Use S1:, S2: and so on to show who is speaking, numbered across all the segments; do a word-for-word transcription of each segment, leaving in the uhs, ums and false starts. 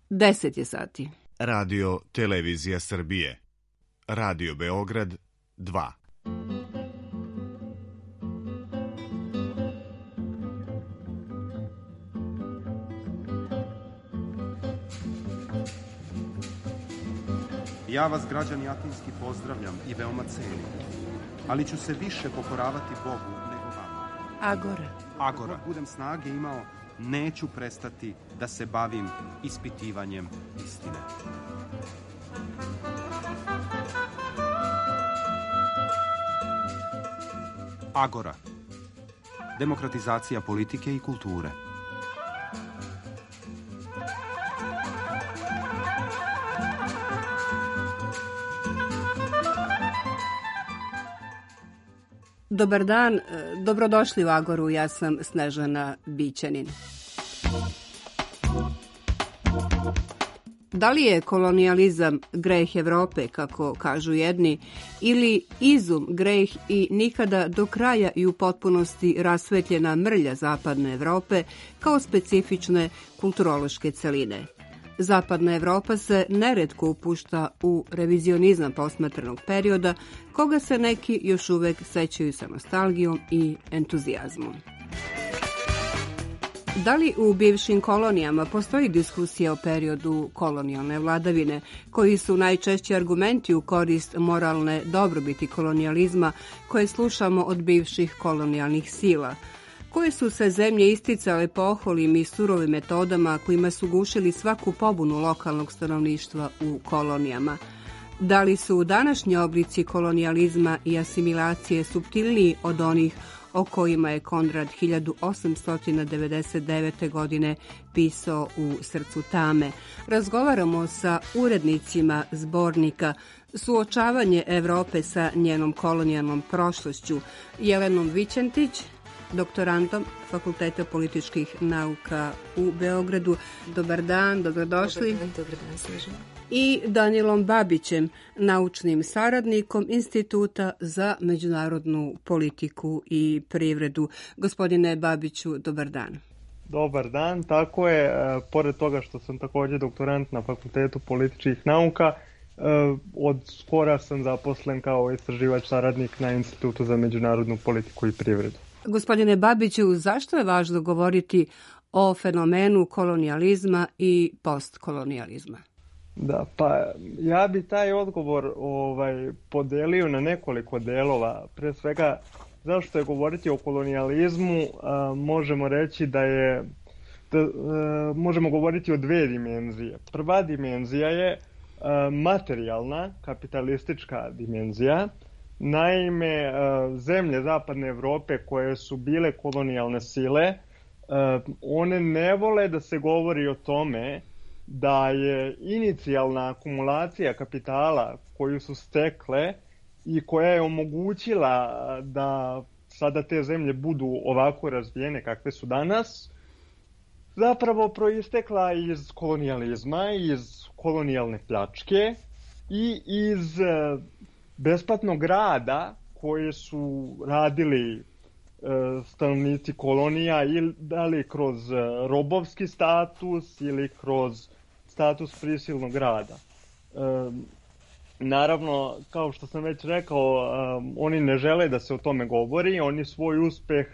S1: deset je sati.
S2: Radio Televizija Srbije. Radio Beograd dva.
S3: Ja vas, građani Atinski, pozdravljam i veoma cenim, ali ću se više pokoravati Bogu nego vama.
S1: Agora.
S3: Agora. Dok budem snage imao, neću prestati da se bavim ispitivanjem istine. Agora. Demokratizacija politike i kulture.
S1: Dobar dan, dobrodošli u Agoru, ja sam Snežana Bićanin. Da li je kolonijalizam greh Evrope, kako kažu jedni, ili izum greh i nikada do kraja i u potpunosti rasvetljena mrlja zapadne Evrope kao specifične kulturološke celine? Zapadna Evropa se neretko upušta u revizionizam posmatranog perioda, koga se neki još uvek sećaju sa nostalgijom i entuzijazmom. Da li u bivšim kolonijama postoji diskusija o periodu kolonijalne vladavine, koji su najčešći argumenti u korist moralne dobrobiti kolonijalizma koje slušamo od bivših kolonijalnih sila? Koje su se zemlje isticale poholim i surovim metodama kojima su gušili svaku pobunu lokalnog stanovništva u kolonijama? Da li su današnji oblici kolonijalizma i asimilacije suptilniji od onih o kojima je Konrad hiljadu osamsto devedeset devete. godine pisao u Srcu tame? Razgovaramo sa urednicima zbornika Suočavanje Evrope sa njenom kolonijalnom prošlošću, Jelenom Vićentić, doktorantom Fakulteta političkih nauka u Beogradu. Dobar dan, dobrodošli.
S4: Dobar dan, dobar dan, Snežana.
S1: I Danilom Babićem, naučnim saradnikom Instituta za međunarodnu politiku i privredu. Gospodine Babiću, dobar dan.
S5: Dobar dan, tako je. Pored toga što sam također doktorant na Fakultetu političkih nauka, od skora sam zaposlen kao istraživač saradnik na Institutu za međunarodnu politiku i privredu.
S1: Gospodine Babiću, zašto je važno govoriti o fenomenu kolonijalizma i postkolonijalizma?
S5: Da, pa ja bi taj odgovor ovaj, podelio na nekoliko delova. Pre svega, zašto je govoriti o kolonijalizmu, a, možemo reći da je, da, a, možemo govoriti o dve dimenzije. Prva dimenzija je a, materijalna, kapitalistička dimenzija. Naime, zemlje Zapadne Evrope koje su bile kolonijalne sile, one ne vole da se govori o tome da je inicijalna akumulacija kapitala koju su stekle i koja je omogućila da sada te zemlje budu ovako razvijene kakve su danas, zapravo proistekla iz kolonijalizma, iz kolonijalne pljačke i iz besplatnog rada koje su radili e, stanovnici kolonija, ili da li kroz robovski status ili kroz status prisilnog rada. E, naravno, kao što sam već rekao, e, oni ne žele da se o tome govori, oni svoj uspeh e,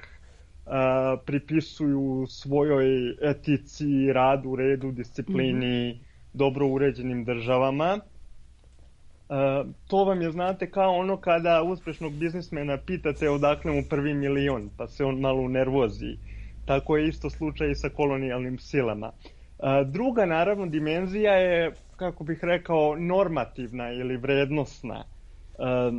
S5: pripisuju svojoj etici, radu, redu, disciplini, mm-hmm. dobro uređenim državama. Uh, to vam je, znate, kao ono kada uspešnog biznismena pitate odakle mu prvi milion, pa se on malo nervozi. Tako je isto slučaj i sa kolonijalnim silama. Uh, druga, naravno, dimenzija je, kako bih rekao, normativna ili vrednosna. Uh,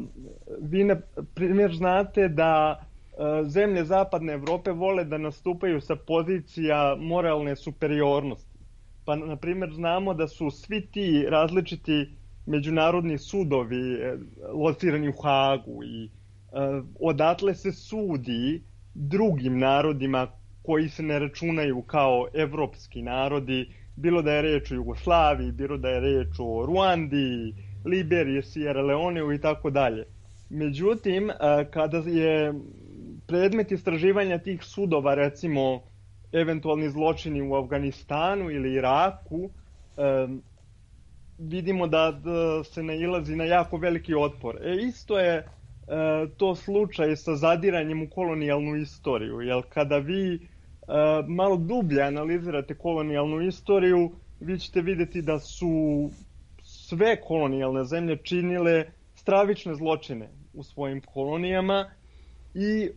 S5: vi, na primjer, znate da uh, zemlje Zapadne Evrope vole da nastupaju sa pozicija moralne superiornosti. Pa, na primjer, znamo da su svi ti različiti međunarodni sudovi locirani u Hagu i uh, odatle se sudi drugim narodima koji se ne računaju kao evropski narodi, bilo da je reč o Jugoslaviji, bilo da je reč o Ruandi, Liberiji, Sierra Leoneu i tako dalje. Međutim, uh, kada je predmet istraživanja tih sudova, recimo eventualni zločini u Afganistanu ili Iraku, vidimo da, da se nailazi na jako veliki otpor. E, isto je e, to slučaj sa zadiranjem u kolonijalnu istoriju, jer kada vi e, malo dublje analizirate kolonijalnu istoriju, vi ćete vidjeti da su sve kolonijalne zemlje činile stravične zločine u svojim kolonijama i e,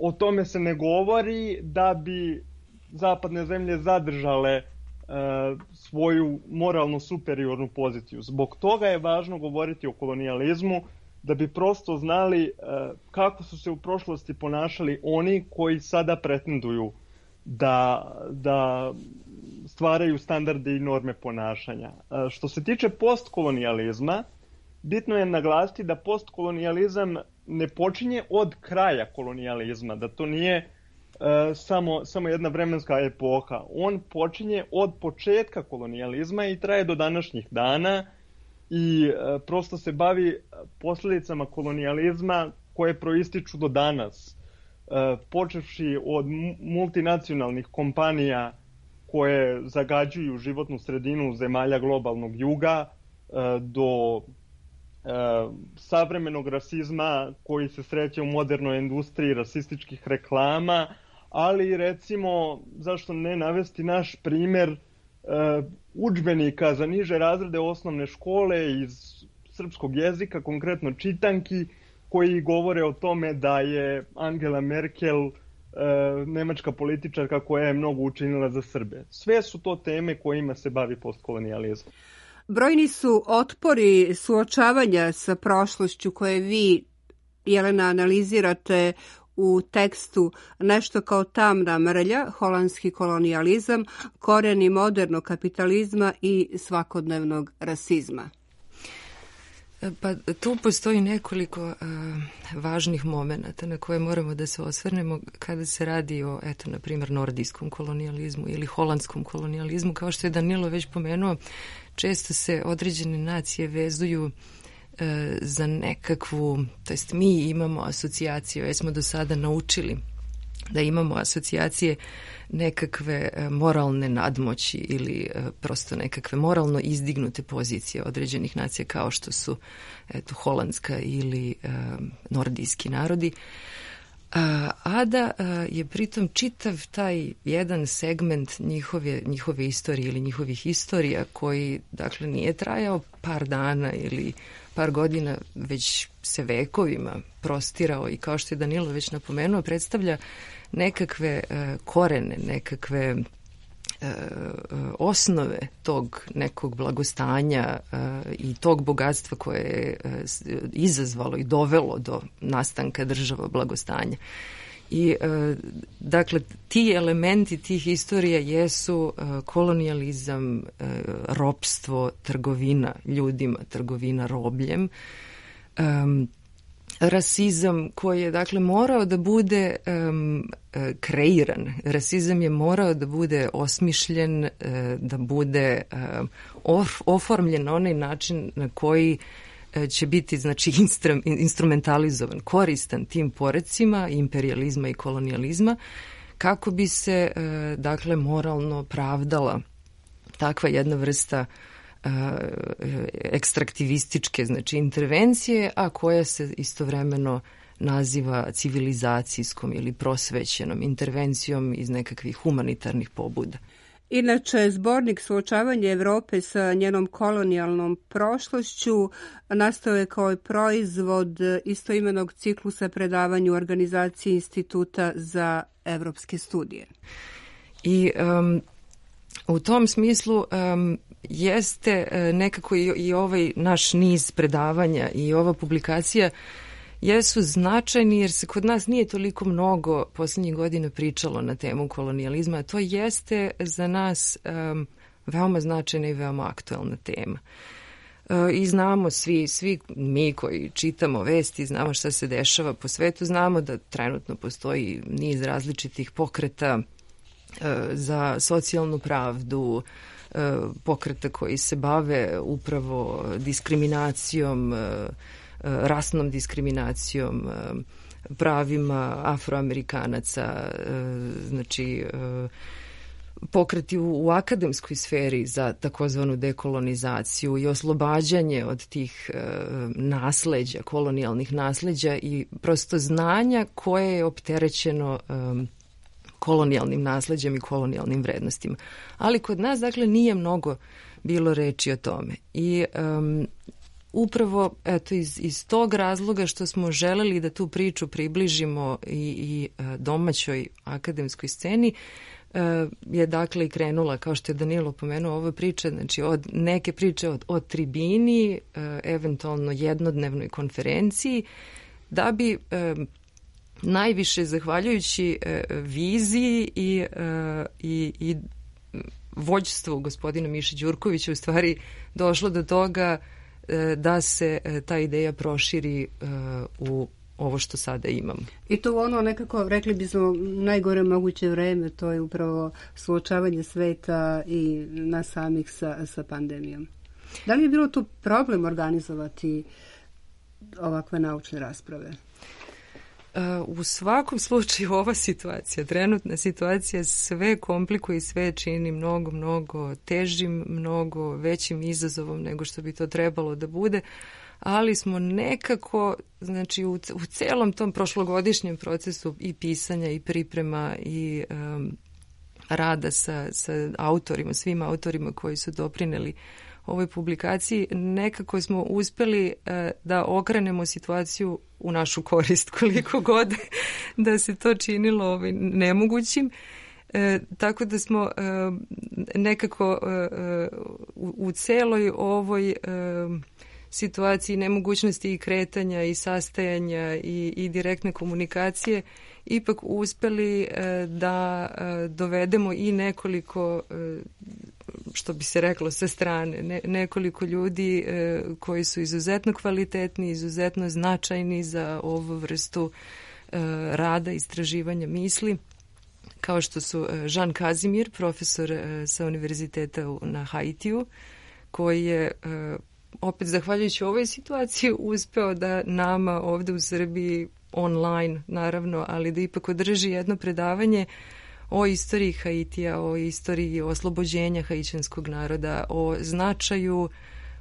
S5: o tome se ne govori da bi zapadne zemlje zadržale e, svoju moralno superiornu poziciju. Zbog toga je važno govoriti o kolonijalizmu, da bi prosto znali e, kako su se u prošlosti ponašali oni koji sada pretenduju da, da stvaraju standarde i norme ponašanja. E, što se tiče postkolonijalizma, bitno je naglasiti da postkolonijalizam ne počinje od kraja kolonijalizma, da to nije e, samo, samo jedna vremenska epoha. On počinje od početka kolonijalizma i traje do današnjih dana i e, prosto se bavi posljedicama kolonijalizma koje proističu do danas. E, počevši od multinacionalnih kompanija koje zagađuju životnu sredinu zemalja globalnog juga e, do savremenog rasizma koji se sreće u modernoj industriji rasističkih reklama, ali recimo, zašto ne navesti naš primjer udžbenika za niže razrede osnovne škole iz srpskog jezika, konkretno čitanki, koji govore o tome da je Angela Merkel nemačka političarka koja je mnogo učinila za Srbe. Sve su to teme kojima se bavi postkolonijalizam.
S1: Brojni su otpori suočavanja sa prošlošću koje vi, Jelena, analizirate u tekstu Nešto kao tamna mrlja, holandski kolonijalizam, koreni modernog kapitalizma i svakodnevnog rasizma.
S4: Pa tu postoji nekoliko uh, važnih momenata na koje moramo da se osvrnemo kada se radi o, eto, na primjer, nordijskom kolonijalizmu ili holandskom kolonijalizmu. Kao što je Danilo već pomenuo, često se određene nacije vezuju uh, za nekakvu, to jest mi imamo asocijaciju, jer smo do sada naučili da imamo asocijacije nekakve moralne nadmoći ili prosto nekakve moralno izdignute pozicije određenih nacija kao što su eto, holandska ili e, nordijski narodi. A, a da a, je pritom čitav taj jedan segment njihove, njihove istorije ili njihovih istorija koji dakle nije trajao par dana ili par godina, već se vekovima prostirao i kao što je Danilo već napomenuo, predstavlja nekakve e, korene, nekakve e, osnove tog nekog blagostanja e, i tog bogatstva koje je e, izazvalo i dovelo do nastanka država blagostanja. I e, dakle ti elementi tih istorija jesu e, kolonijalizam, e, ropstvo, trgovina ljudima, trgovina robljem, e, rasizam koji je dakle morao da bude um, kreiran. Rasizam je morao da bude osmišljen, uh, da bude um, of, oformljen na onaj način na koji uh, će biti znači instru, instrumentalizovan, koristan tim porecima imperializma i kolonijalizma kako bi se uh, dakle moralno pravdala takva jedna vrsta ekstraktivističke znači intervencije, a koja se istovremeno naziva civilizacijskom ili prosvećenom intervencijom iz nekakvih humanitarnih pobuda.
S1: Inače, zbornik Suočavanje Evrope sa njenom kolonijalnom prošlošću nastao je kao proizvod istoimenog ciklusa predavanja u organizaciji Instituta za evropske studije.
S4: I um, u tom smislu um, jeste nekako i, i ovaj naš niz predavanja i ova publikacija jesu značajni jer se kod nas nije toliko mnogo posljednjih godina pričalo na temu kolonijalizma, a to jeste za nas um, veoma značajna i veoma aktuelna tema. Uh, I znamo svi, svi mi koji čitamo vesti, znamo šta se dešava po svetu, znamo da trenutno postoji niz različitih pokreta uh, za socijalnu pravdu, pokreta koji se bave upravo diskriminacijom, rasnom diskriminacijom, pravima Afroamerikanaca, znači pokreti u, u akademskoj sferi za takozvanu dekolonizaciju i oslobađanje od tih e, nasleđa, kolonijalnih nasleđa i prosto znanja koje je opterećeno e, kolonijalnim nasleđem i kolonijalnim vrednostima. Ali kod nas, dakle, nije mnogo bilo reči o tome. I um, upravo eto, iz, iz tog razloga što smo želeli da tu priču približimo i, i domaćoj akademskoj sceni, je dakle i krenula, kao što je Danilo pomenuo, ova priča, znači od neke priče od, od tribini, eventualno jednodnevnoj konferenciji, da bi najviše zahvaljujući viziji i, i, i vođstvu gospodina Miše Đurkovića u stvari došlo do toga da se ta ideja proširi u ovo što sada imamo.
S1: I to ono nekako, rekli bismo, najgore moguće vreme, to je upravo suočavanje sveta i nas samih sa, sa pandemijom. Da li je bilo tu problem organizovati ovakve naučne rasprave?
S4: U svakom slučaju ova situacija, trenutna situacija sve komplikuje i sve čini mnogo, mnogo težim, mnogo većim izazovom nego što bi to trebalo da bude, ali smo nekako, znači u, u celom tom prošlogodišnjem procesu i pisanja i priprema i um, rada sa, sa autorima, svim autorima koji su doprineli ovoj publikaciji, nekako smo uspeli uh, da okrenemo situaciju u našu korist, koliko god da se to činilo ovaj, nemogućim. E, tako da smo e, nekako e, u, u celoj ovoj e, situaciji nemogućnosti i kretanja i sastajanja i, i direktne komunikacije ipak uspeli e, da e, dovedemo i nekoliko, e, što bi se reklo sa strane, ne, nekoliko ljudi e, koji su izuzetno kvalitetni, izuzetno značajni za ovu vrstu e, rada, istraživanja misli, kao što su Jean Kazimir, profesor e, sa univerziteta na Haitiju, koji je e, opet zahvaljujući ovoj situaciji uspeo da nama ovde u Srbiji online, naravno, ali da ipak održi jedno predavanje o istoriji Haitija, o istoriji oslobođenja haićanskog naroda, o značaju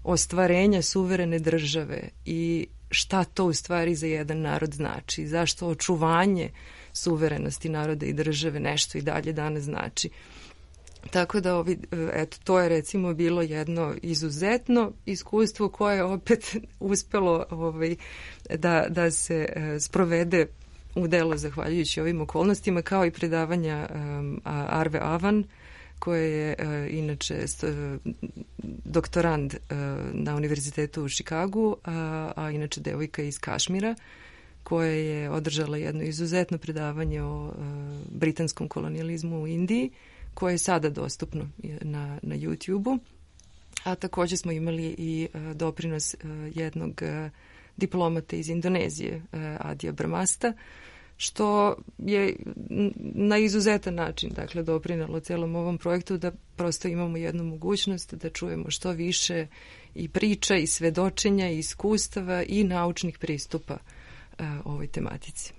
S4: ostvarenja suverene države i šta to u stvari za jedan narod znači, zašto očuvanje suverenosti naroda i države nešto i dalje danas znači. Tako da ovi, eto, to je recimo bilo jedno izuzetno iskustvo koje je opet uspelo ovaj, da, da se e, sprovede u delo zahvaljujući ovim okolnostima, kao i predavanja um, Arve Avan, koje je uh, inače st, uh, doktorand uh, na univerzitetu u Čikagu, a, a inače devojka iz Kašmira, koja je održala jedno izuzetno predavanje o uh, britanskom kolonijalizmu u Indiji, koje je sada dostupno na, na YouTube-u. A također smo imali i uh, doprinos uh, jednog uh, diplomata iz Indonezije, uh, Adija Brmasta, što je na izuzetan način, dakle, doprinelo celom ovom projektu da prosto imamo jednu mogućnost da čujemo što više i priča i svedočenja i iskustava i naučnih pristupa uh, ovoj tematici.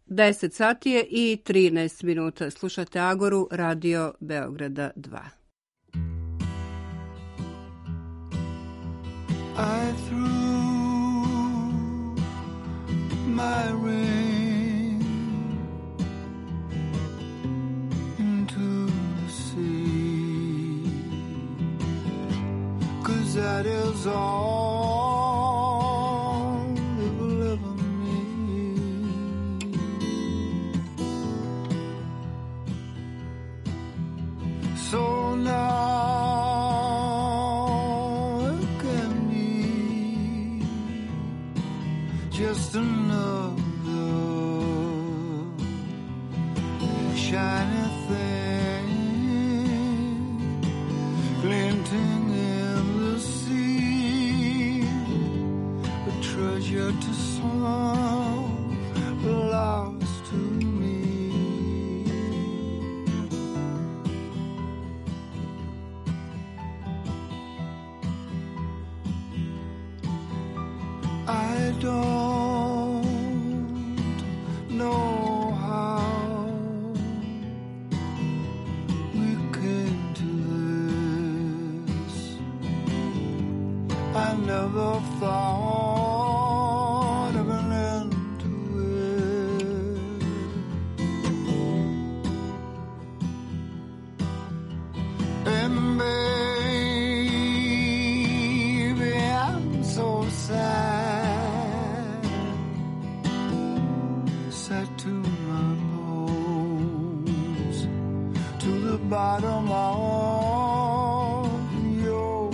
S1: deset sati je i trinaest minuta. Slušate Agoru, Radio Beograda dva.
S6: I threw my ring into the sea, 'cause that is all it will ever mean. So now just another shiny thing glinting in the sea, a treasure to some, lost to me. I don't know how we could I never thought of an end to it. And baby, I'm so sad, sad to my bones, to the bottom of the ocean.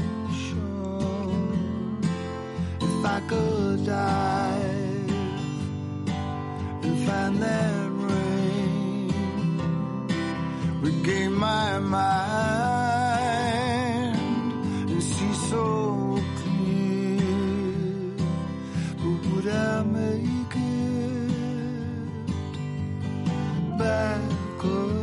S6: If I could dive and find that ring, regain my mind and see so clear, but would I make it back again?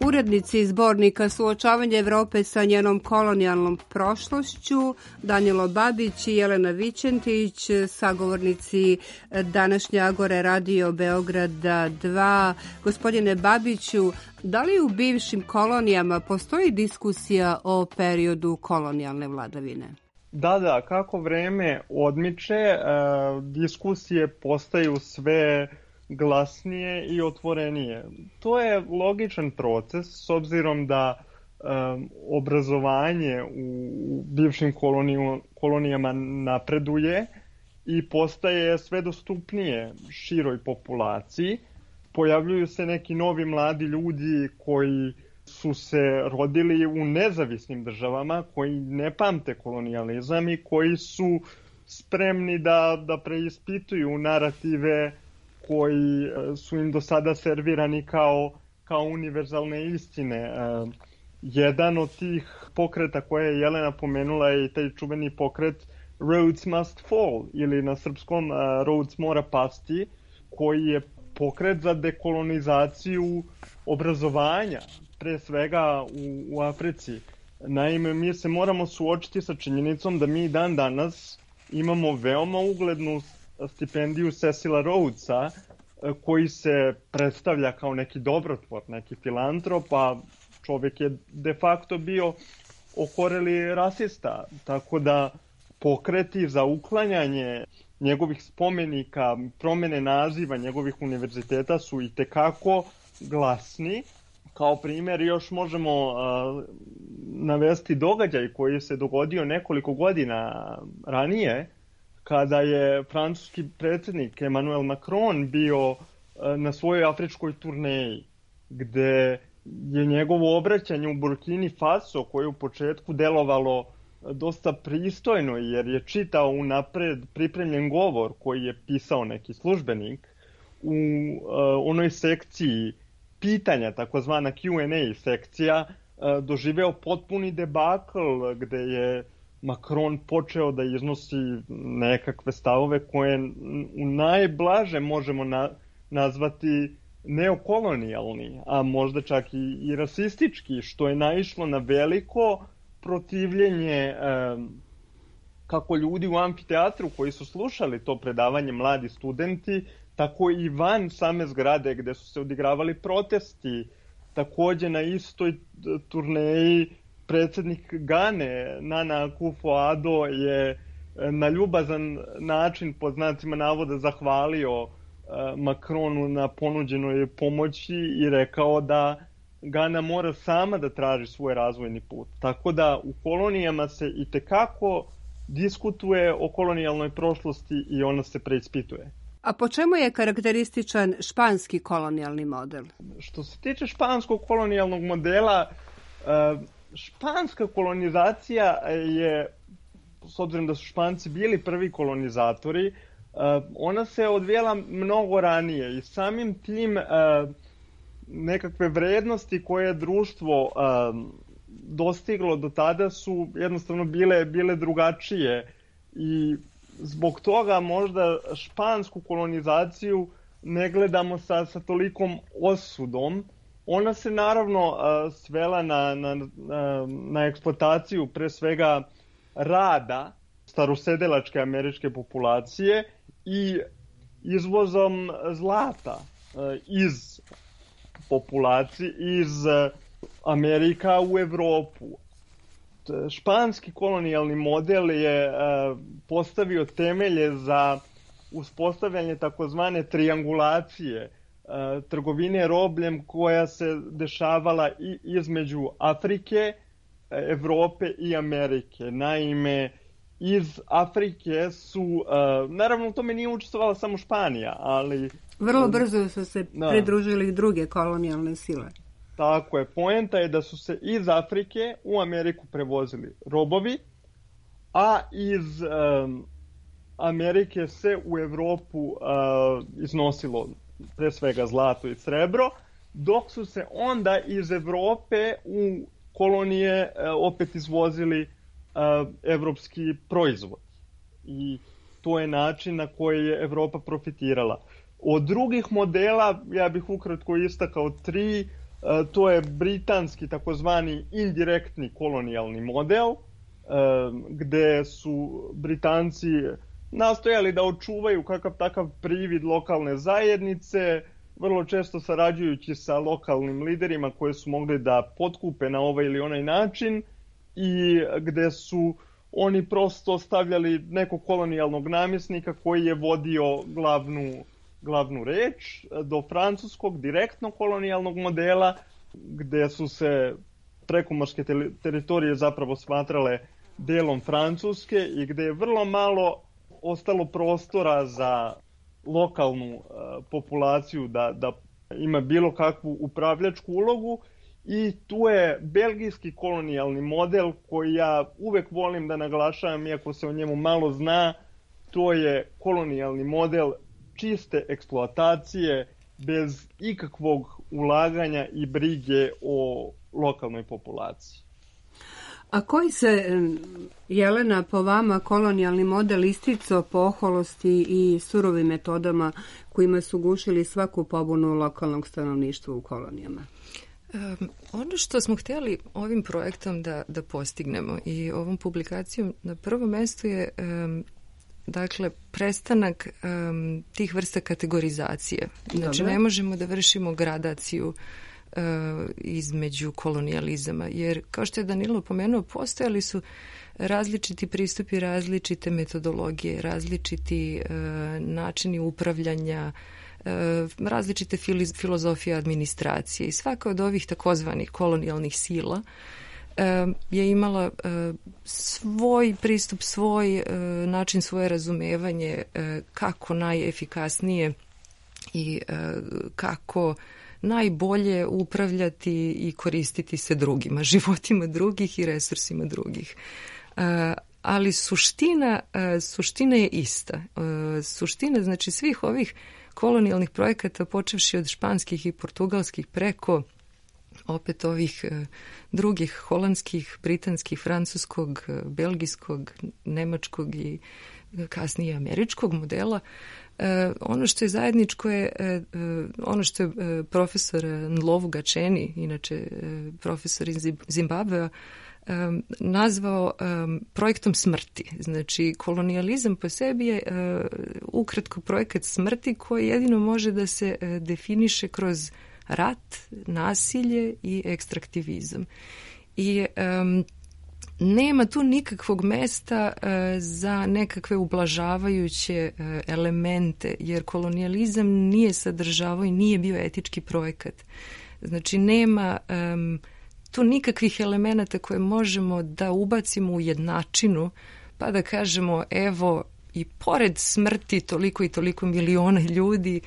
S1: Urednici zbornika Suočavanje Evrope sa njenom kolonijalnom prošlošću, Danilo Babić i Jelena Vićentić, sagovornici današnje Agore Radio Beograda dva. Gospodine Babiću, da li u bivšim kolonijama postoji diskusija o periodu kolonijalne vladavine?
S5: Da, da, kako vreme odmiče, e, diskusije postaju sve glasnije i otvorenije. To je logičan proces s obzirom da um, obrazovanje u bivšim koloniju, kolonijama napreduje i postaje sve dostupnije široj populaciji. Pojavljuju se neki novi mladi ljudi koji su se rodili u nezavisnim državama, koji ne pamte kolonijalizam i koji su spremni da, da preispituju narative koji su im do sada servirani kao, kao univerzalne istine. Jedan od tih pokreta koje je Jelena pomenula je i taj čuveni pokret Rhodes Must Fall, ili na srpskom Rhodes mora pasti, koji je pokret za dekolonizaciju obrazovanja, pre svega u, u Africi. Naime, mi se moramo suočiti sa činjenicom da mi dan danas imamo veoma uglednu stipendiju Cecila Rhodesa, koji se predstavlja kao neki dobrotvor, neki filantrop, a čovjek je de facto bio okoreli rasista. Tako da pokreti za uklanjanje njegovih spomenika, promjene naziva njegovih univerziteta su i tekako glasni. Kao primjer još možemo uh, navesti događaj koji se dogodio nekoliko godina ranije, kada je francuski predsjednik Emmanuel Macron bio uh, na svojoj afričkoj turneji, gde je njegovo obraćanje u Burkini Faso, koje je u početku delovalo dosta pristojno, jer je čitao unapred pripremljen govor koji je pisao neki službenik, u uh, onoj sekciji pitanja, takozvana Q and A sekcija, doživeo potpuni debakl gde je Macron počeo da iznosi nekakve stavove koje u najblaže možemo na, nazvati neokolonijalni, a možda čak i, i rasistički, što je naišlo na veliko protivljenje um, kako ljudi u amfiteatru koji su slušali to predavanje, mladi studenti, tako i van same zgrade gde su se odigravali protesti. Takođe na istoj turneji predsjednik Gane, Nana Akufo-Addo, je na ljubazan način, pod znacima navoda, zahvalio Macronu na ponuđenoj pomoći i rekao da Gana mora sama da traži svoj razvojni put. Tako da u kolonijama se itekako diskutuje o kolonijalnoj prošlosti i ona se preispituje.
S1: A po čemu je karakterističan španski kolonijalni model?
S5: Što se tiče španskog kolonijalnog modela, španska kolonizacija je, s obzirom da su Španci bili prvi kolonizatori, ona se odvijela mnogo ranije i samim tim nekakve vrednosti koje je društvo dostiglo do tada su jednostavno bile, bile drugačije i zbog toga možda špansku kolonizaciju ne gledamo sa, sa tolikom osudom. Ona se naravno uh, svela na, na, na, na eksploataciju pre svega rada starosedelačke američke populacije i izvozom zlata uh, iz populacije, iz uh, Amerika u Evropu. Španski kolonijalni model je uh, postavio temelje za uspostavljanje takozvane triangulacije uh, trgovine robljem koja se dešavala i između Afrike, Evrope i Amerike. Naime, iz Afrike su, uh, naravno u tome nije učestvovala samo Španija, ali...
S1: Vrlo brzo su se
S5: da.
S1: pridružili druge kolonijalne sile.
S5: Tako je. Poenta je da su se iz Afrike u Ameriku prevozili robovi, a iz um, Amerike se u Evropu uh, iznosilo pre svega zlato i srebro, dok su se onda iz Evrope u kolonije uh, opet izvozili uh, evropski proizvod. I to je način na koji je Evropa profitirala. Od drugih modela, ja bih ukratko istakao tri, uh, to je britanski takozvani indirektni kolonijalni model, uh, gde su Britanci nastojali da očuvaju kakav takav privid lokalne zajednice, vrlo često sarađujući sa lokalnim liderima koje su mogli da potkupe na ovaj ili onaj način i gde su oni prosto stavljali nekog kolonijalnog namjesnika koji je vodio glavnu, glavnu reč, do francuskog direktnog kolonijalnog modela gde su se prekomorske teritorije zapravo smatrale delom Francuske i gde je vrlo malo ostalo prostora za lokalnu uh, populaciju da, da ima bilo kakvu upravljačku ulogu i tu je belgijski kolonijalni model koji ja uvek volim da naglašavam, iako se o njemu malo zna, to je kolonijalni model čiste eksploatacije bez ikakvog ulaganja i brige o lokalnoj populaciji.
S1: A koji se, Jelena, po vama kolonijalni model isticao po oholosti i surovim metodama kojima su gušili svaku pobunu lokalnog stanovništva u kolonijama?
S4: Um, ono što smo htjeli ovim projektom da, da postignemo i ovom publikacijom na prvom mjestu je um, dakle prestanak um, tih vrsta kategorizacije. Znači Dobre. Ne možemo da vršimo gradaciju između kolonijalizama, jer kao što je Danilo pomenuo, postojali su različiti pristupi, različite metodologije, različiti uh, načini upravljanja, uh, različite filozofije administracije i svaka od ovih takozvanih kolonijalnih sila uh, je imala uh, svoj pristup, svoj uh, način, svoje razumevanje uh, kako najefikasnije i uh, kako najbolje upravljati i koristiti se drugima, životima drugih i resursima drugih. Uh, ali suština, uh, suština je ista. Uh, suština, znači, svih ovih kolonijalnih projekata, počevši od španskih i portugalskih preko opet ovih uh, drugih holandskih, britanskih, francuskog, uh, belgijskog, nemačkog i kasnije američkog modela. Uh, ono što je zajedničko je uh, ono što je uh, profesor Nlovu Gačeni, inače uh, profesor iz Zimbabvea, um, nazvao um, projektom smrti. Znači, kolonijalizam po sebi je uh, ukratko projekat smrti koji jedino može da se uh, definiše kroz rat, nasilje i ekstraktivizam. I um, nema tu nikakvog mesta uh, za nekakve ublažavajuće uh, elemente, jer kolonijalizam nije sadržavao i nije bio etički projekat. Znači, nema um, tu nikakvih elemenata koje možemo da ubacimo u jednačinu, pa da kažemo, evo, i pored smrti toliko i toliko miliona ljudi,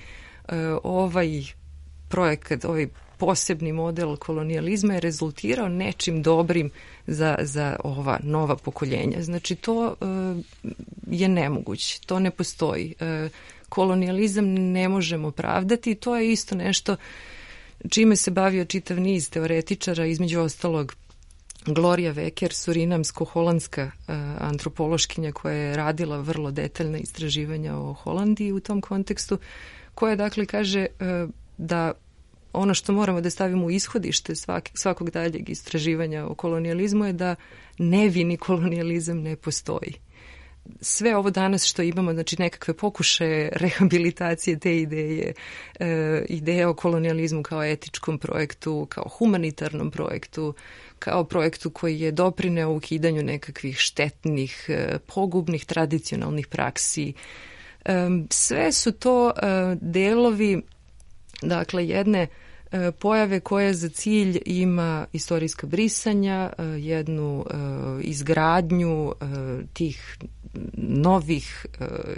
S4: uh, ovaj projekat, ovaj posebni model kolonijalizma je rezultirao nečim dobrim za, za ova nova pokoljenja. Znači, to uh, je nemoguće, to ne postoji. Uh, kolonijalizam ne možemo pravdati i to je isto nešto čime se bavio čitav niz teoretičara, između ostalog Gloria Wecker, surinamsko-holandska antropološkinja koja je radila vrlo detaljna istraživanja o Holandiji u tom kontekstu, koja dakle kaže da ono što moramo da stavimo u ishodište svak, svakog daljeg istraživanja o kolonijalizmu je da nevini kolonijalizam ne postoji. Sve ovo danas što imamo, znači nekakve pokušaje rehabilitacije te ideje, e, ideje o kolonijalizmu kao etičkom projektu, kao humanitarnom projektu, kao projektu koji je doprineo ukidanju nekakvih štetnih, e, pogubnih tradicionalnih praksi. E, sve su to e, delovi, dakle, jedne e, pojave koja za cilj ima istorijska brisanja, e, jednu e, izgradnju e, tih novih,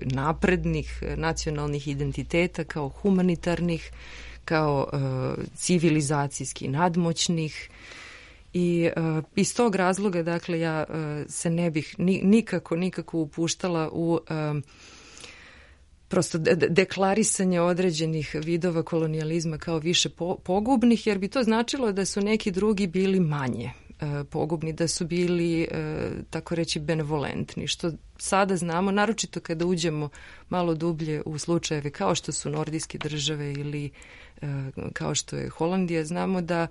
S4: naprednih nacionalnih identiteta kao humanitarnih, kao civilizacijski nadmoćnih i iz tog razloga, dakle, ja se ne bih nikako, nikako upuštala u prosto deklarisanje određenih vidova kolonijalizma kao više pogubnih, jer bi to značilo da su neki drugi bili manje pogubni, da su bili, tako reći, benevolentni, što sada znamo, naročito kada uđemo malo dublje u slučajeve kao što su nordijske države ili kao što je Holandija, znamo da,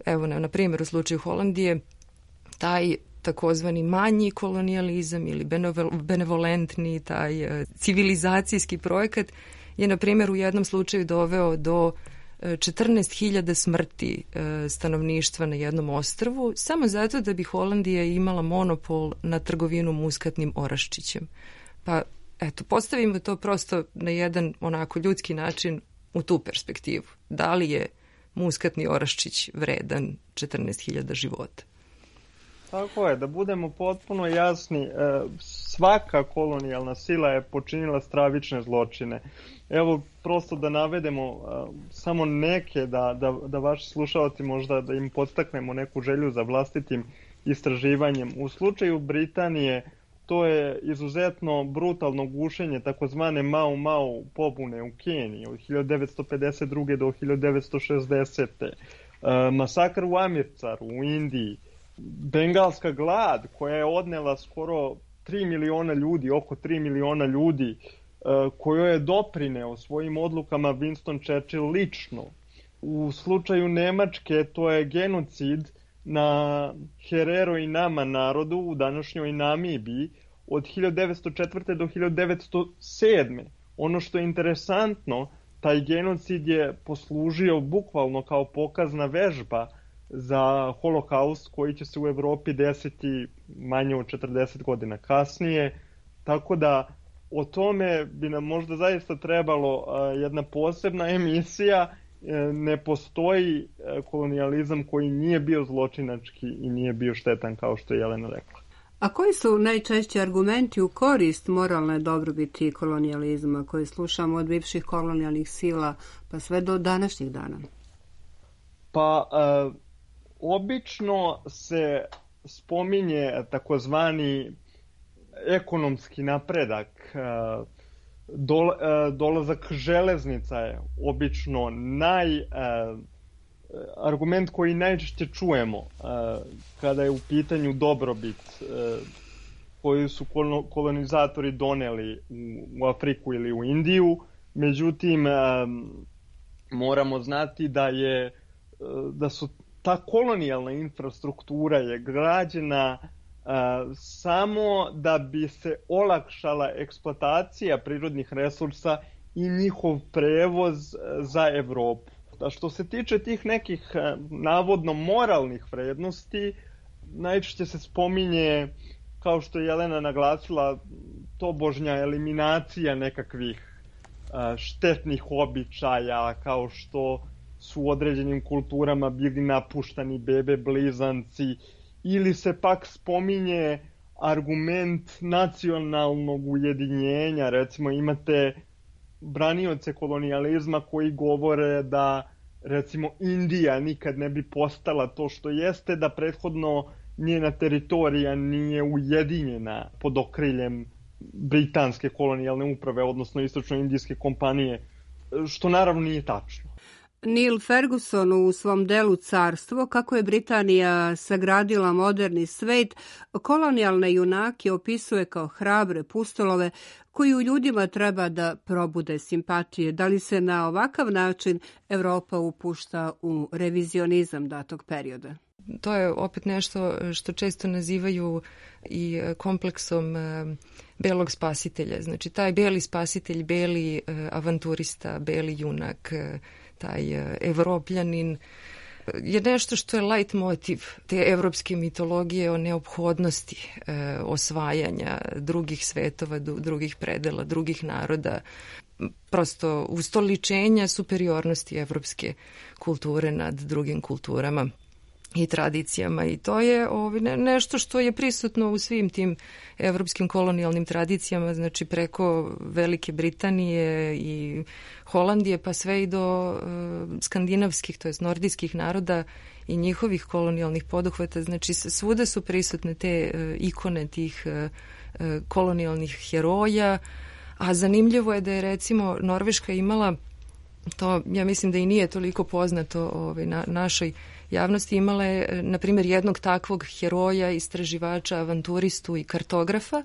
S4: evo, na primjer, u slučaju Holandije, taj takozvani manji kolonijalizam ili benevolentni, taj civilizacijski projekat je, na primjer, u jednom slučaju doveo do četrnaest hiljada smrti stanovništva na jednom ostrvu, samo zato da bi Holandija imala monopol na trgovinu muskatnim oraščićem. Pa, eto, postavimo to prosto na jedan onako ljudski način u tu perspektivu. Da li je muskatni oraščić vredan četrnaest hiljada života?
S5: Tako je, da budemo potpuno jasni, svaka kolonijalna sila je počinila stravične zločine. Evo, prosto da navedemo samo neke, da, da, da vaši slušalci možda da im podstaknemo neku želju za vlastitim istraživanjem. U slučaju Britanije to je izuzetno brutalno gušenje takozvane Mau Mau pobune u Keniji od hiljadu devetsto pedeset druge do hiljadu devetsto šezdesete. Masakr u Amircaru u Indiji, bengalska glad koja je odnela skoro tri miliona ljudi, oko tri miliona ljudi, kojoj je doprineo svojim odlukama Winston Churchill lično. U slučaju Nemačke to je genocid na Herero i Nama narodu u današnjoj Namibiji od hiljadu devetsto četvrte do hiljadu devetsto sedme. Ono što je interesantno, taj genocid je poslužio bukvalno kao pokazna vežba za holokaust koji će se u Evropi desiti manje od četrdeset godina kasnije, tako da o tome bi nam možda zaista trebalo jedna posebna emisija. Ne postoji kolonijalizam koji nije bio zločinački i nije bio štetan, kao što je Jelena rekla.
S1: A koji su najčešći argumenti u korist moralne dobrobiti kolonijalizma koji slušamo od bivših kolonijalnih sila pa sve do današnjih dana?
S5: Pa, e, obično se spominje takozvani ekonomski napredak. Dol, dolazak železnica je obično naj, argument koji najčešće čujemo kada je u pitanju dobrobit koju su kolonizatori doneli u Afriku ili u Indiju. Međutim, moramo znati da je da su ta kolonijalna infrastruktura je građena Uh, samo da bi se olakšala eksploatacija prirodnih resursa i njihov prevoz za Evropu. A što se tiče tih nekih uh, navodno moralnih vrednosti, najčešće se spominje, kao što je Jelena naglasila, tobožnja eliminacija nekakvih uh, štetnih običaja, kao što su u određenim kulturama bili napuštani bebe blizanci, ili se pak spominje argument nacionalnog ujedinjenja. Recimo imate branioce kolonijalizma koji govore da recimo Indija nikad ne bi postala to što jeste da prethodno njena teritorija nije ujedinjena pod okriljem britanske kolonijalne uprave, odnosno istočno-indijske kompanije, što naravno nije tačno.
S1: Neil Ferguson u svom delu Carstvo, kako je Britanija sagradila moderni svet, kolonijalne junake opisuje kao hrabre pustolove koji u ljudima treba da probude simpatije. Da li se na ovakav način Evropa upušta u revizionizam datog perioda?
S4: To je opet nešto što često nazivaju i kompleksom belog spasitelja. Znači, taj beli spasitelj, beli avanturista, beli junak, taj evropljanin je nešto što je light motiv te evropske mitologije o neophodnosti e, osvajanja drugih svetova, drugih predela, drugih naroda, prosto ustoličenja superiornosti evropske kulture nad drugim kulturama i tradicijama. I to je ovaj, ne, nešto što je prisutno u svim tim evropskim kolonijalnim tradicijama, znači preko Velike Britanije i Holandije pa sve i do uh, skandinavskih, to jest nordijskih naroda i njihovih kolonijalnih poduhvata. Znači svuda su prisutne te uh, ikone tih uh, uh, kolonijalnih heroja, a zanimljivo je da je recimo Norveška imala, to ja mislim da i nije toliko poznato ovaj, na, našoj javnosti, imala je, na primjer, jednog takvog heroja, istraživača, avanturistu i kartografa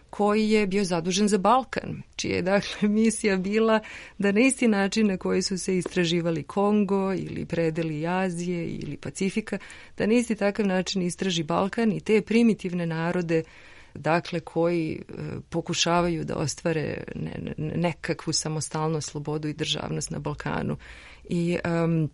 S4: koji je bio zadužen za Balkan, čija je dakle misija bila da na isti način na koji su se istraživali Kongo ili predeli Azije ili Pacifika, da na isti takav način istraži Balkan i te primitivne narode, dakle koji e, pokušavaju da ostvare ne, ne, nekakvu samostalnost, slobodu i državnost na Balkanu. I um,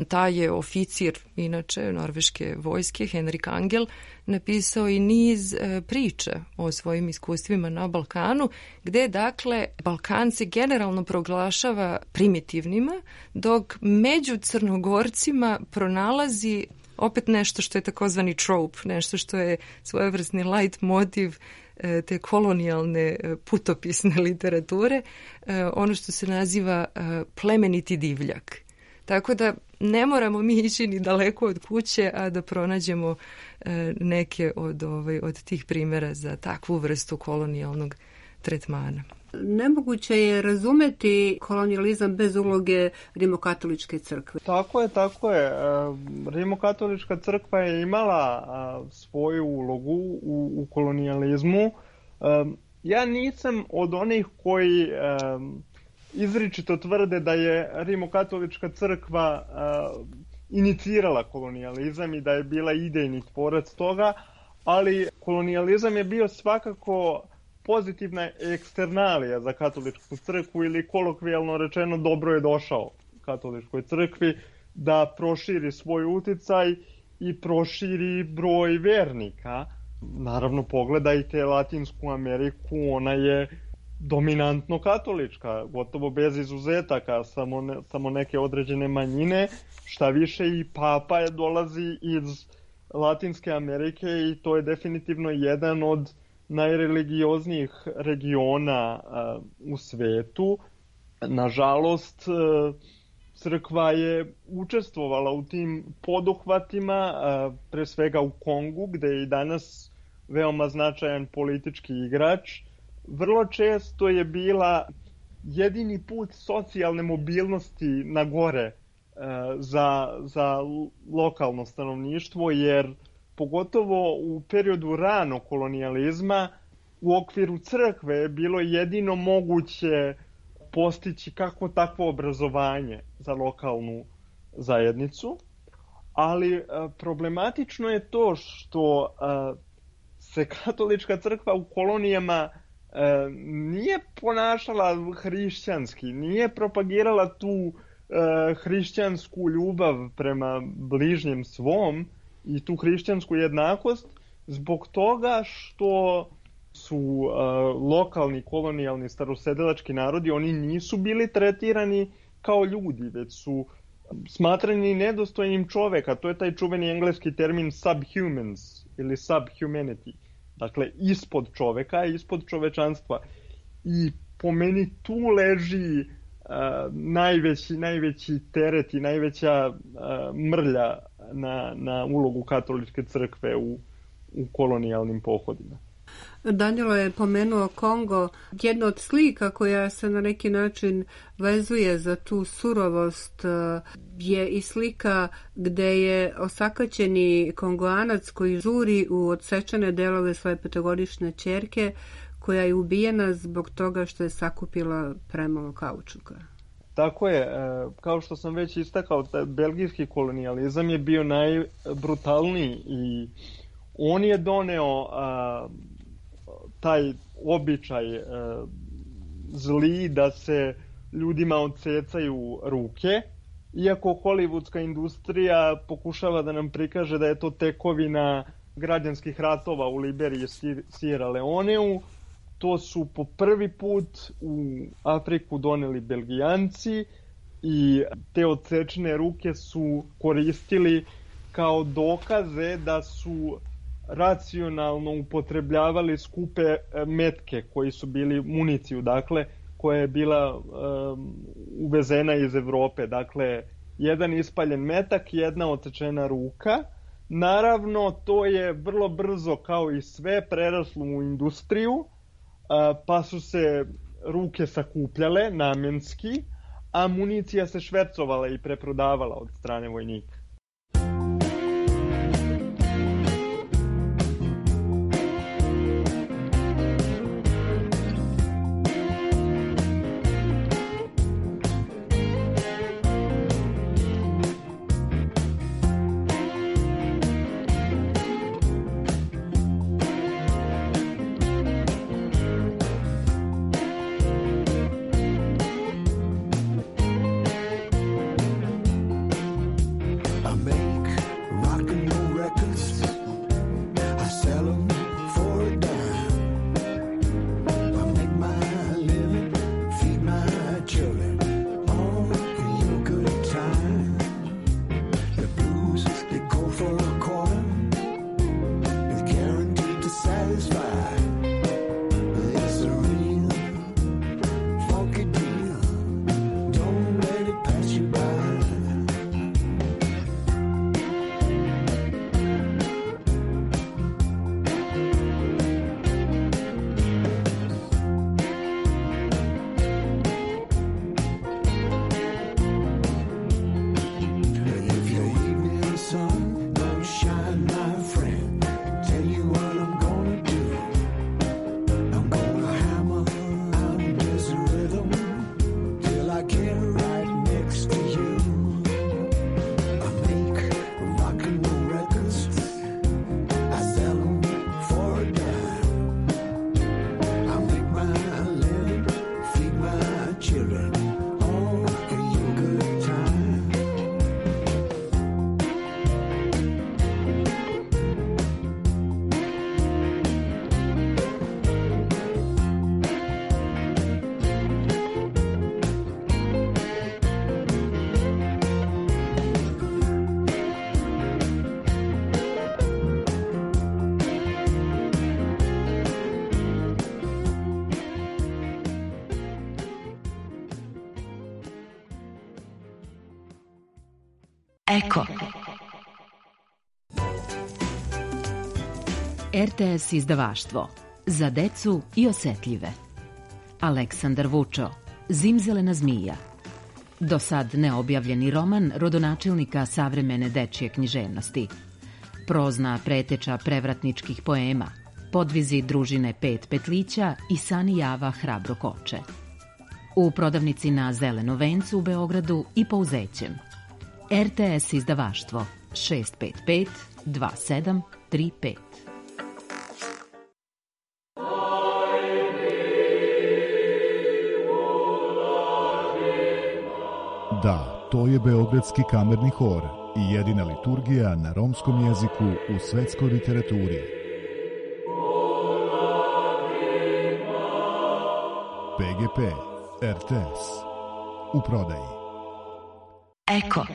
S4: taj je oficir, inače, norveške vojske, Henrik Angel, napisao i niz e, priča o svojim iskustvima na Balkanu, gde, dakle, Balkan se generalno proglašava primitivnima, dok među Crnogorcima pronalazi opet nešto što je takozvani trope, nešto što je svojevrsni light motiv e, te kolonijalne e, putopisne literature, e, ono što se naziva e, plemeniti divljak. Tako da ne moramo mi ići ni daleko od kuće, a da pronađemo e, neke od, ovaj, od tih primjera za takvu vrstu kolonijalnog tretmana.
S1: Nemoguće je razumeti kolonijalizam bez uloge Rimokatoličke crkve.
S5: Tako je, tako je. Rimokatolička crkva je imala svoju ulogu u, u kolonijalizmu. Ja nisam od onih koji izričito tvrde da je Rimokatolička crkva uh, inicirala kolonijalizam i da je bila idejni tvorac toga, ali kolonijalizam je bio svakako pozitivna eksternalija za katoličku crkvu ili kolokvijalno rečeno dobro je došao katoličkoj crkvi da proširi svoj uticaj i proširi broj vernika. Naravno, pogledajte Latinsku Ameriku, ona je dominantno katolička, gotovo bez izuzetaka, samo, ne, samo neke određene manjine, šta više i papa je dolazi iz Latinske Amerike i to je definitivno jedan od najreligioznijih regiona uh, u svetu. Nažalost, uh, crkva je učestvovala u tim poduhvatima, uh, pre svega u Kongu, gde je i danas veoma značajan politički igrač. Vrlo često je bila jedini put socijalne mobilnosti na gore e, za, za lokalno stanovništvo, jer pogotovo u periodu ranog kolonijalizma u okviru crkve je bilo jedino moguće postići kako takvo obrazovanje za lokalnu zajednicu, ali e, problematično je to što e, se katolička crkva u kolonijama E, nije ponašala hrišćanski, nije propagirala tu e, hrišćansku ljubav prema bližnjem svom i tu hrišćansku jednakost zbog toga što su e, lokalni kolonijalni starosedilački narodi, oni nisu bili tretirani kao ljudi, već su smatrani nedostojnim čoveka. To je taj čuveni engleski termin subhumans ili subhumanity. Dakle, ispod čoveka, ispod čovečanstva. I po meni tu leži uh, najveći, najveći teret i najveća uh, mrlja na, na ulogu katoličke crkve u, u kolonijalnim pohodima.
S1: Danilo je pomenuo Kongo. Jedna od slika koja se na neki način vezuje za tu surovost je i slika gde je osakaćeni Kongoanac koji žuri u odsečene delove svoje petogodišnje ćerke koja je ubijena zbog toga što je sakupila premalo kaučuka.
S5: Tako je, kao što sam već istakao, belgijski kolonijalizam je bio najbrutalniji i on je doneo a, taj običaj a, zli da se ljudima odsecaju ruke, iako hollywoodska industrija pokušava da nam prikaže da je to tekovina građanskih ratova u Liberiji i Sierra Leoneu. To su po prvi put u Afriku doneli Belgijanci i te odsečene ruke su koristili kao dokaze da su racionalno upotrebljavali skupe metke koji su bili municiju, dakle, koja je bila um, uvezena iz Evrope. Dakle, jedan ispaljen metak, jedna odsečena ruka. Naravno, to je vrlo brzo, kao i sve, preraslo u industriju, pa su se ruke sakupljale namjenski, a municija se švercovala i preprodavala od strane vojnika.
S7: Eko. R T S izdavaštvo za decu i osetljive. Aleksandar Vučo, Zimzelena zmija. Do sad neobjavljeni roman rodonačelnika savremene dečje književnosti. Prozna preteča prevratničkih poema, podvizi družine Pet petlića i Sani Java Hrabro koče. U prodavnici na Zelenom vencu u Beogradu i po Uzećem. R T S izdavaštvo šest pet pet dva sedam tri pet.
S8: Da, to je Beogradski kamerni hor i jedina liturgija na romskom jeziku u svetskoj literaturi. P G P, R T S, u prodaji.
S7: Eko.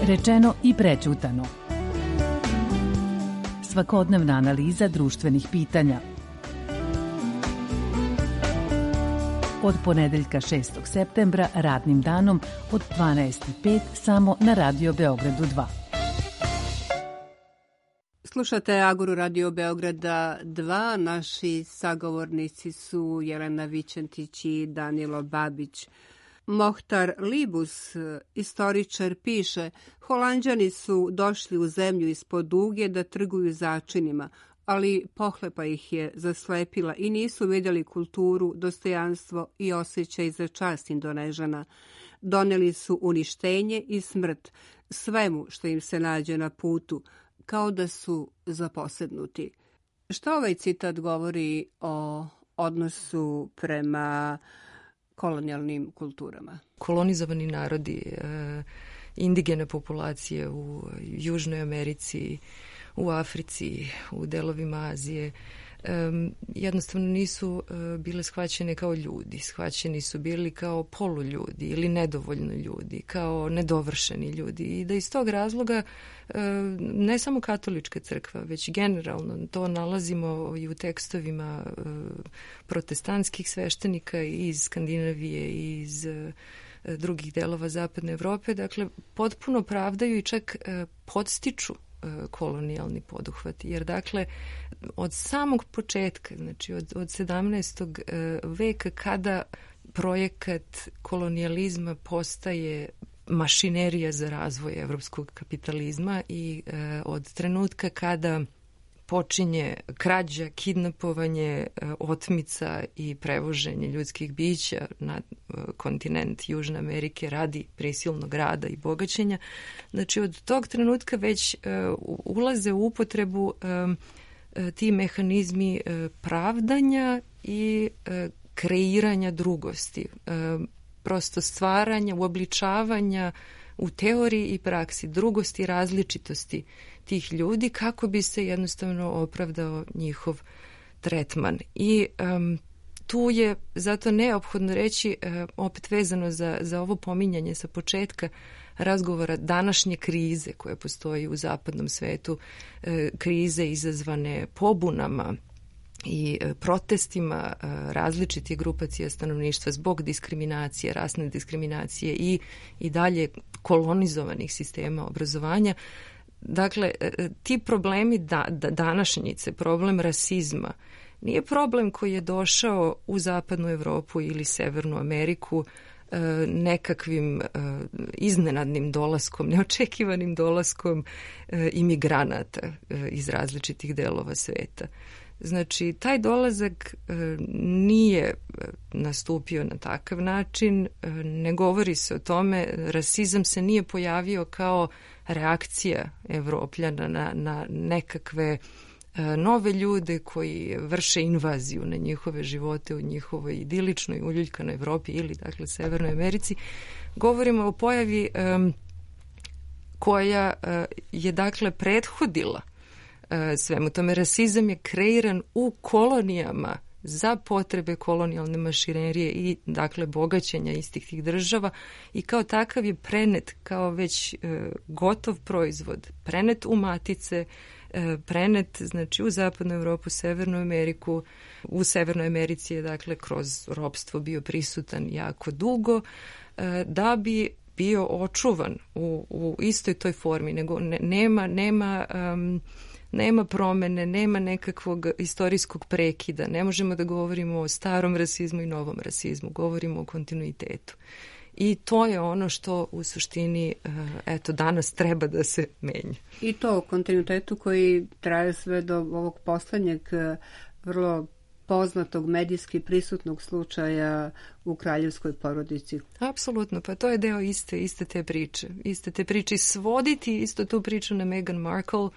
S9: Rečeno i prećutano. Svakodnevna analiza društvenih pitanja. Od ponedeljka šestog septembra radnim danom od dvanaest i pet samo na Radio Beogradu dva.
S1: Slušate Aguru Radio Beograda dva. Naši sagovornici su Jelena Vićentić i Danilo Babić. Mohtar Libus, istoričar, piše: Holanđani su došli u zemlju ispod Uge da trguju začinima, ali pohlepa ih je zaslepila i nisu vidjeli kulturu, dostojanstvo i osjećaj za čast Indonežana. Doneli su uništenje i smrt svemu što im se nađe na putu, kao da su zaposednuti. Što ovaj citat govori o odnosu prema kolonijalnim kulturama?
S4: Kolonizovani narodi, indigene populacije u Južnoj Americi, u Africi, u delovima Azije, jednostavno nisu bile shvaćene kao ljudi. Shvaćeni su bili kao poluljudi ili nedovoljno ljudi, kao nedovršeni ljudi. I da iz tog razloga ne samo katolička crkva, već generalno to nalazimo i u tekstovima protestantskih sveštenika iz Skandinavije i iz drugih delova Zapadne Evrope. Dakle, potpuno pravdaju i čak podstiču kolonijalni poduhvat. Jer dakle, od samog početka, znači od, od sedamnaestog veka, kada projekat kolonijalizma postaje mašinerija za razvoj evropskog kapitalizma i e, od trenutka kada počinje krađa, kidnapovanje, otmica i prevoženje ljudskih bića na kontinent Južne Amerike radi prisilnog rada i bogaćenja. Znači od tog trenutka već uh, ulaze u upotrebu um, ti mehanizmi uh, pravdanja i uh, kreiranja drugosti. Uh, prosto stvaranja, uobličavanja u teoriji i praksi drugosti, različitosti tih ljudi kako bi se jednostavno opravdao njihov tretman. I um, tu je zato neophodno reći, uh, opet vezano za, za ovo pominjanje sa početka razgovora, današnje krize koje postoji u zapadnom svetu, uh, krize izazvane pobunama i protestima različitih grupacija stanovništva zbog diskriminacije, rasne diskriminacije i, i dalje kolonizovanih sistema obrazovanja. Dakle, ti problemi da, da, današnjice, problem rasizma, nije problem koji je došao u Zapadnu Evropu ili Severnu Ameriku nekakvim iznenadnim dolaskom, neočekivanim dolaskom imigranata iz različitih delova sveta. Znači, taj dolazak e, nije nastupio na takav način, e, ne govori se o tome, rasizam se nije pojavio kao reakcija Evropljana na, na nekakve e, nove ljude koji vrše invaziju na njihove živote u njihovoj idiličnoj, uljuljkanoj Evropi ili, dakle, Severnoj Americi. Govorimo o pojavi e, koja e, je, dakle, prethodila svemu tome. Rasizam je kreiran u kolonijama za potrebe kolonijalne mašinerije i dakle bogaćenja istih tih država i kao takav je prenet kao već e, gotov proizvod, prenet u matice, e, prenet znači u Zapadnu Evropu, Severnu Ameriku. U Severnoj Americi je dakle kroz ropstvo bio prisutan jako dugo, e, da bi bio očuvan u, u istoj toj formi, nego ne, nema nema um, nema promene, nema nekakvog istorijskog prekida. Ne možemo da govorimo o starom rasizmu i novom rasizmu. Govorimo o kontinuitetu. I to je ono što u suštini eto, danas treba da se menja.
S1: I to o kontinuitetu koji traje sve do ovog poslednjeg vrlo poznatog medijski prisutnog slučaja u kraljevskoj porodici.
S4: Apsolutno, pa to je deo iste, iste te priče. Iste te priče. Svoditi isto tu priču na Meghan Markle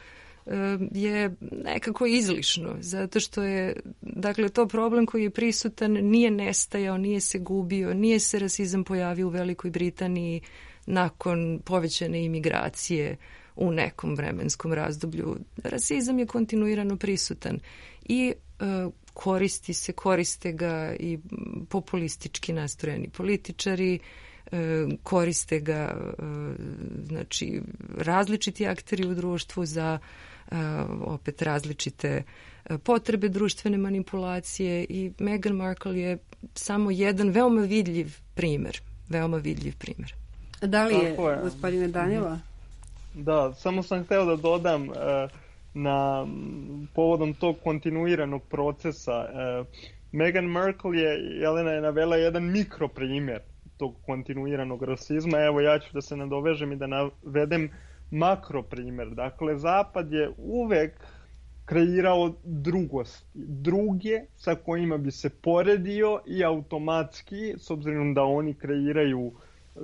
S4: je nekako izlišno, zato što je, dakle, to problem koji je prisutan, nije nestajao, nije se gubio, nije se rasizam pojavio u Velikoj Britaniji nakon povećane imigracije u nekom vremenskom razdoblju. Rasizam je kontinuirano prisutan i e, koristi se, koriste ga i populistički nastrojeni političari, e, koriste ga e, znači različiti akteri u društvu za Uh, opet različite uh, potrebe društvene manipulacije i Meghan Markle je samo jedan veoma vidljiv primer. Veoma vidljiv primer.
S1: Da li je, je. gospodine Danila?
S5: Da, samo sam hteo da dodam, uh, na povodom tog kontinuiranog procesa. Meghan Markle je, Jelena je navela jedan mikroprimjer tog kontinuiranog rasizma. Evo ja ću da se nadovežem i da navedem makroprimjer. Dakle, Zapad je uvek kreirao drugosti, druge sa kojima bi se poredio i automatski, s obzirom da oni kreiraju e,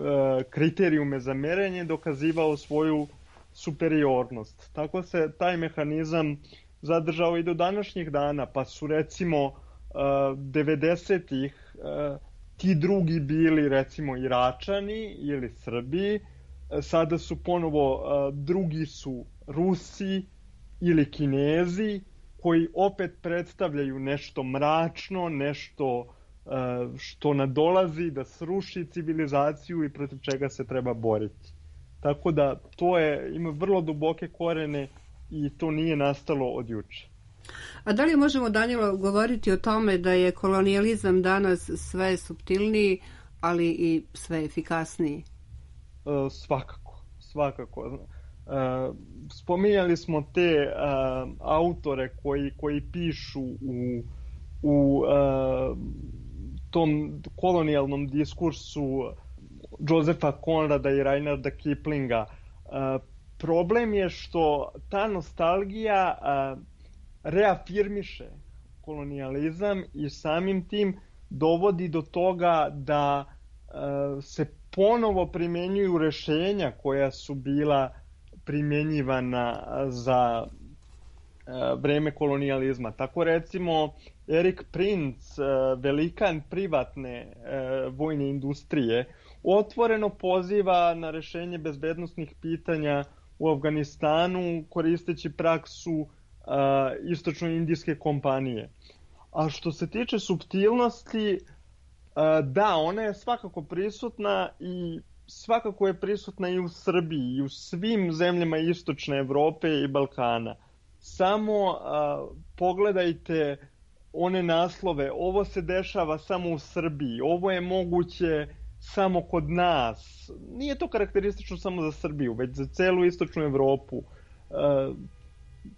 S5: kriterijume za merenje, dokazivao svoju superiornost. Tako se taj mehanizam zadržao i do današnjih dana, pa su recimo uh, devedesetih uh, ti drugi bili recimo Iračani ili Srbi, sada su ponovo uh, drugi su Rusi ili Kinezi, koji opet predstavljaju nešto mračno, nešto uh, što nadolazi da sruši civilizaciju i protiv čega se treba boriti. Tako da to je, ima vrlo duboke korene i to nije nastalo od juče.
S1: A da li možemo, Danilo, govoriti o tome da je kolonijalizam danas sve suptilniji, ali i sve efikasniji?
S5: E, svakako, svakako. E, spominjali smo te e, autore koji, koji pišu u, u e, tom kolonijalnom diskursu Josefa Conrada i Reinharda Kiplinga. Uh, problem je što ta nostalgija uh, reafirmiše kolonijalizam i samim tim dovodi do toga da uh, se ponovo primenjuju rešenja koja su bila primjenjivana za uh, vreme kolonijalizma. Tako recimo Erik Prince, uh, velikan privatne uh, vojne industrije, otvoreno poziva na rešenje bezbednosnih pitanja u Afganistanu koristeći praksu uh, istočno-indijske kompanije. A što se tiče suptilnosti, uh, da, ona je svakako prisutna i svakako je prisutna i u Srbiji i u svim zemljama istočne Evrope i Balkana. Samo uh, pogledajte one naslove, ovo se dešava samo u Srbiji, ovo je moguće samo kod nas. Nije to karakteristično samo za Srbiju, već za celu istočnu Evropu. E,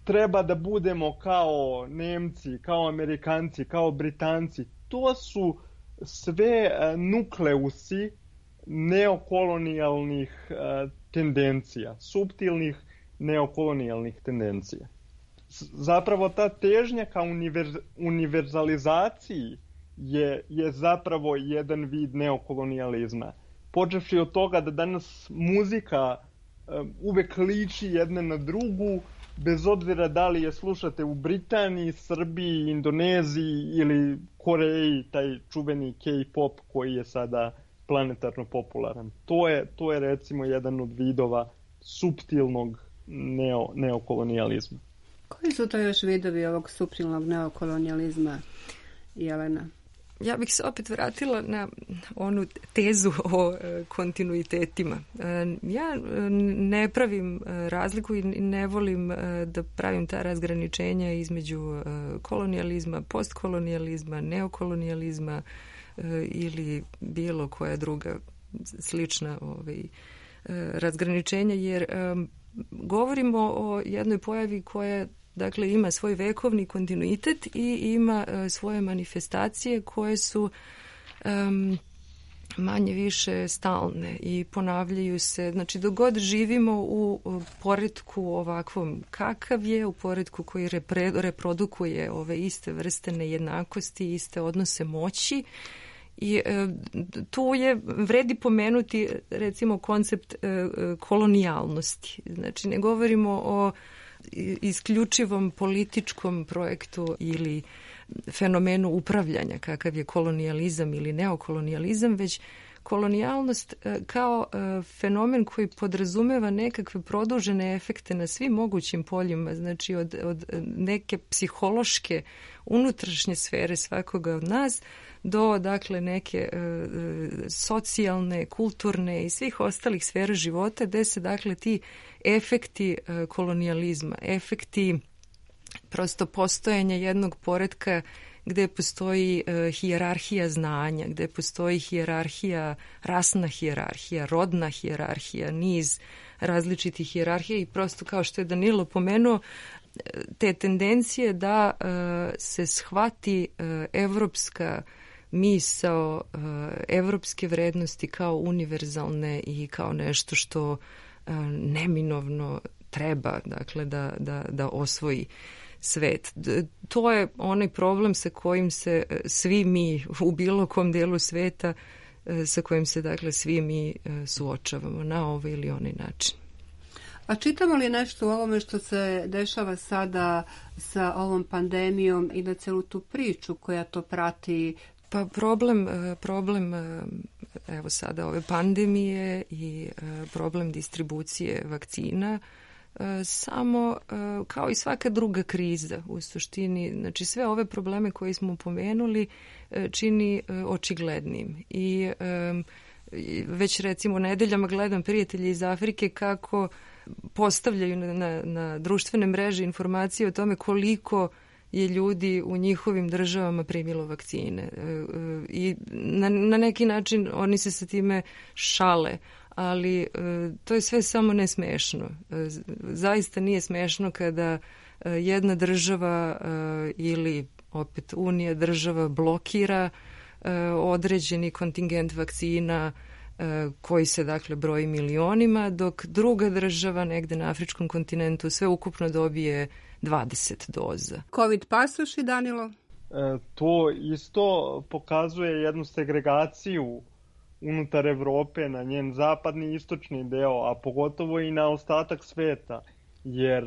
S5: treba da budemo kao Nemci, kao Amerikanci, kao Britanci. To su sve nukleusi neokolonijalnih e, tendencija, suptilnih neokolonijalnih tendencija. Zapravo ta težnja ka univerz, univerzalizaciji Je, je zapravo jedan vid neokolonijalizma. Počevši od toga da danas muzika um, uvek liči jedna na drugu, bez obzira da li je slušate u Britaniji, Srbiji, Indoneziji ili Koreji, taj čuveni K-pop koji je sada planetarno popularan. To je, to je recimo jedan od vidova suptilnog neo, neokolonijalizma.
S1: Koji su to još vidovi ovog suptilnog neokolonijalizma, Jelena?
S4: Ja bih se opet vratila na onu tezu o e, kontinuitetima. E, ja ne pravim e, razliku i ne volim e, da pravim ta razgraničenja između e, kolonijalizma, postkolonijalizma, neokolonijalizma e, ili bilo koja druga slična ovaj, e, razgraničenja, jer e, govorimo o jednoj pojavi koja dakle ima svoj vekovni kontinuitet i ima uh, svoje manifestacije koje su um, manje više stalne i ponavljaju se. Znači dok god živimo u, u poretku ovakvom kakav je, u poretku koji repre, reprodukuje ove iste vrste nejednakosti, iste odnose moći, i e, tu je vredi pomenuti recimo koncept e, kolonijalnosti. Znači ne govorimo o isključivom političkom projektu ili fenomenu upravljanja kakav je kolonijalizam ili neokolonijalizam, već kolonijalnost kao fenomen koji podrazumeva nekakve produžene efekte na svim mogućim poljima, znači od, od neke psihološke unutrašnje sfere svakoga od nas do dakle neke e, socijalne, kulturne i svih ostalih sfera života gde se dakle ti efekti e, kolonijalizma, efekti prosto postojanja jednog poretka gde postoji e, hijerarhija znanja, gde postoji hijerarhija, rasna hijerarhija, rodna hijerarhija, niz različitih hijerarhija i prosto kao što je Danilo pomenuo, te tendencije da se shvati evropska misao, evropske vrednosti kao univerzalne i kao nešto što neminovno treba, dakle, da, da, da osvoji svet. To je onaj problem sa kojim se svi mi u bilo kom delu sveta, sa kojim se, dakle, svi mi suočavamo na ovaj ili onaj način.
S1: A čitamo li nešto u ovome što se dešava sada sa ovom pandemijom i na celu tu priču koja to prati?
S4: Pa problem, problem evo sada ove pandemije i problem distribucije vakcina samo kao i svaka druga kriza u suštini, znači sve ove probleme koje smo pomenuli čini očiglednim i već recimo nedeljama gledam prijatelji iz Afrike kako postavljaju na, na, na društvene mreže informacije o tome koliko je ljudi u njihovim državama primilo vakcine i na, na neki način oni se sa time šale, ali to je sve samo ne smešno. Zaista nije smešno kada jedna država ili opet unija država blokira određeni kontingent vakcina koji se, dakle, broji milionima, dok druga država negde na afričkom kontinentu sve ukupno dobije dvadeset doza.
S1: Covid pasoši, Danilo?
S5: E, to isto pokazuje jednu segregaciju unutar Evrope na njen zapadni i istočni deo, a pogotovo i na ostatak sveta, jer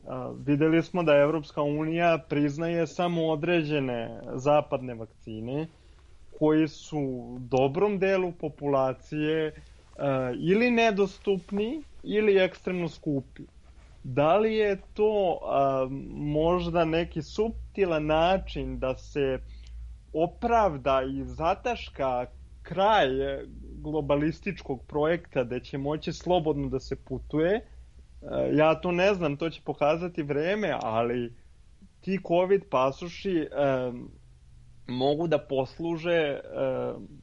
S5: a, videli smo da Evropska unija priznaje samo određene zapadne vakcine koji su dobrom delu populacije a, ili nedostupni ili ekstremno skupi. Da li je to a, možda neki suptilan način da se opravda i zataška kraj globalističkog projekta gde će moći slobodno da se putuje? Ja to ne znam, to će pokazati vreme, ali ti COVID pasoši e, mogu da posluže e,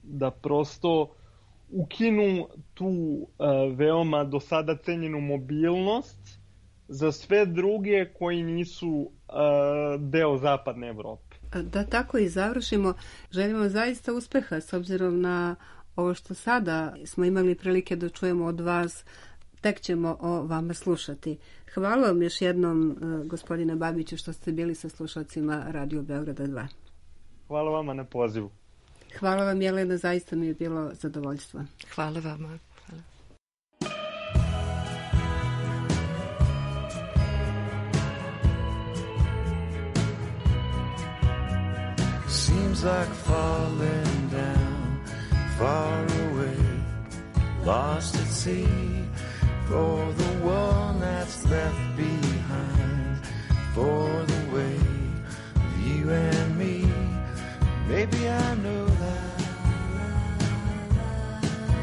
S5: da prosto ukinu tu e, veoma do sada cenjenu mobilnost za sve druge koji nisu e, deo zapadne Evrope.
S1: Da tako i završimo, želimo zaista uspeha s obzirom na ovo što sada smo imali prilike da čujemo od vas, tek ćemo o vama slušati. Hvala vam još jednom, gospodine Babiću, što ste bili sa slušalcima Radio Beograda dva.
S5: Hvala vama na pozivu.
S1: Hvala vam, Jelena, zaista mi je bilo zadovoljstvo.
S4: Hvala vama. Hvala.
S6: Seems like falling down, far away, lost at sea, for the one that's left behind, for the way of you and me. Maybe I know that,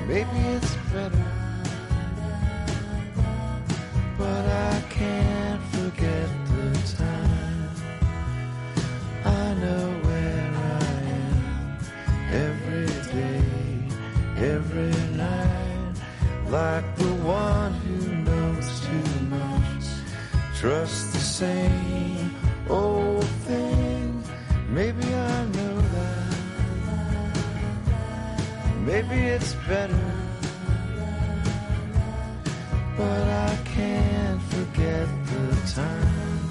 S6: maybe it's better, but I can't forget the time. I know where I am every day, every night, like the one who knows too much, trust the same old thing. Maybe I know that, maybe it's better, but I can't forget the time.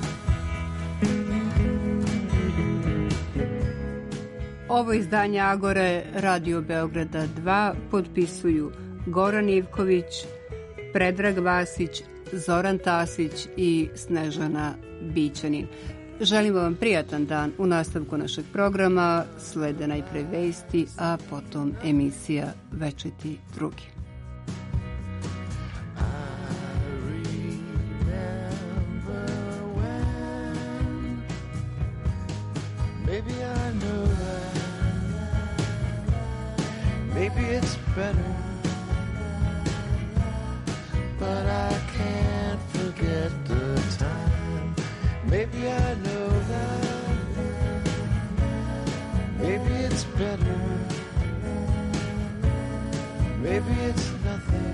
S1: Ovo izdanje Agore Radio Beograda dva potpisuju Goran Ivković, Predrag Vasić, Zoran Tasić i Snežana Bićanin. Želimo vam prijatan dan. U nastavku našeg programa slede najpre vesti, a potom emisija Večiti drugi.
S6: Maybe I know that, maybe it's better, but I can't forget the time. Maybe I know that, maybe it's better, maybe it's nothing,